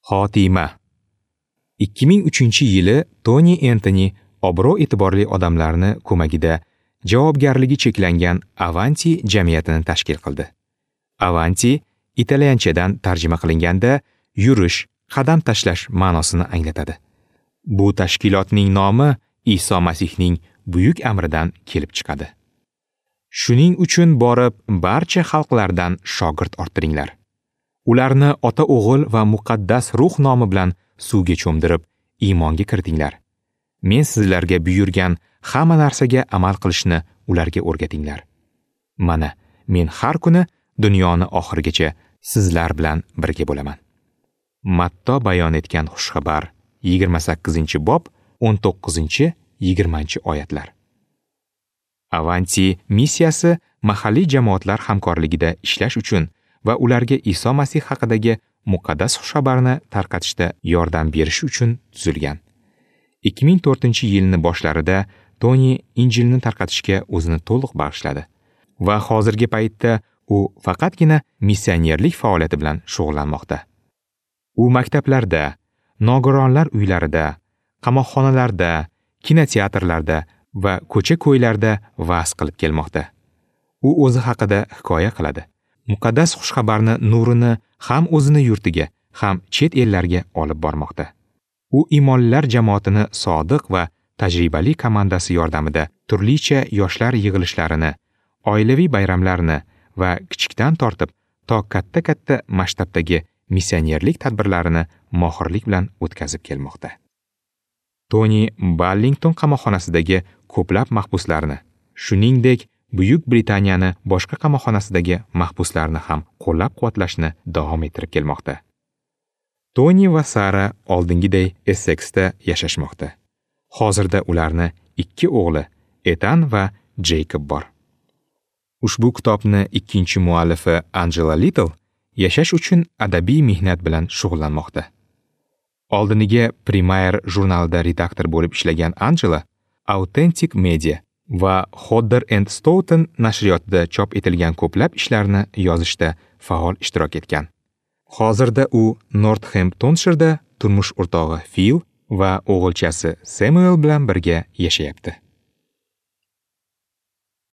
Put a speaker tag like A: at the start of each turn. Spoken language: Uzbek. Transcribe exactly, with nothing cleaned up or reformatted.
A: Xotima. ikki ming uchinchi yili Toni Entoni obro'-e'tiborli odamlarni ko'magida javobgarligi cheklangan Avanti jamiyatini tashkil qildi. Avanti italyanchadan tarjima qilinganda yurish, qadam tashlash ma'nosini anglatadi. Bu tashkilotning nomi Iso Masihning buyuk amridan kelib chiqadi. Shuning uchun borib barcha xalqlardan shogird orttiringlar. Ularni ota-o'g'il va muqaddas ruh nomi bilan suvga cho'mdirib, iymonga kiritinglar. Men sizlarga buyurgan hamma narsaga amal qilishni ularga o'rgatinglar. Mana, men har kuni dunyoni oxirigacha sizlar bilan birga bo'laman. Matto bayon etgan xushxabar yigirma sakkizinchi bob o'n to'qqizinchi yigirmanchi oyatlar. Avanti missiyasi mahalliy jamoatlar hamkorligida ishlash uchun va ularga Iso Masih haqidagi muqaddas xushxabarni tarqatishda yordam berish uchun tuzilgan. ikki ming to'rtinchi yilning boshlarida Toni Injilni tarqatishga o'zini to'liq bag'ishladi va hozirgi paytda u faqatgina missionerlik faoliyati bilan shug'ullanmoqda. U maktablarda, nogironlar uylarida, qamoqxonalarda, kinoteatrlarda va ko'cha-ko'ylarda va'z qilib kelmoqda. U o'zi haqida hikoya qiladi. Muqaddas xushxabarni nurini ham o'zini yurtiga, ham chet ellarga olib bormoqda. U imonlilar jamoatini sodiq va tajribali komandasi yordamida turlicha yoshlar yig'ilishlarini, oilaviy bayramlarni va kichikdan tortib to katta-katta masshtabdagi missionerlik tadbirlarini mohirlik bilan o'tkazib kelmoqda. Toni Ballington qamoqxonasidagi ko'plab mahbuslarni, shuningdek Buyuk Britaniyani boshqa qamoqxonasidagi mahbuslarni ham qo'llab-quvvatlashni davom ettirib kelmoqda. Toni va Sara oldingiday Esseksda yashashmoqda. Hozirda ularni ikki o'g'li Etan va Jeykob bor. Ushbu kitobni ikkinchi muallifi Angela Little yashash uchun adabiy mehnat bilan shug'ullanmoqda. Oldiniga Premiere jurnalida redaktor bo'lib ishlagan Angela Authentic Media va Hodder and Stoughton nashriyotida chop etilgan ko'plab ishlarni yozishda faol ishtirok etgan. Hozirda u Northamptonshirda turmush o'rtog'i Phil va o'g'ilchasi Samuel bilan birga yashayapti.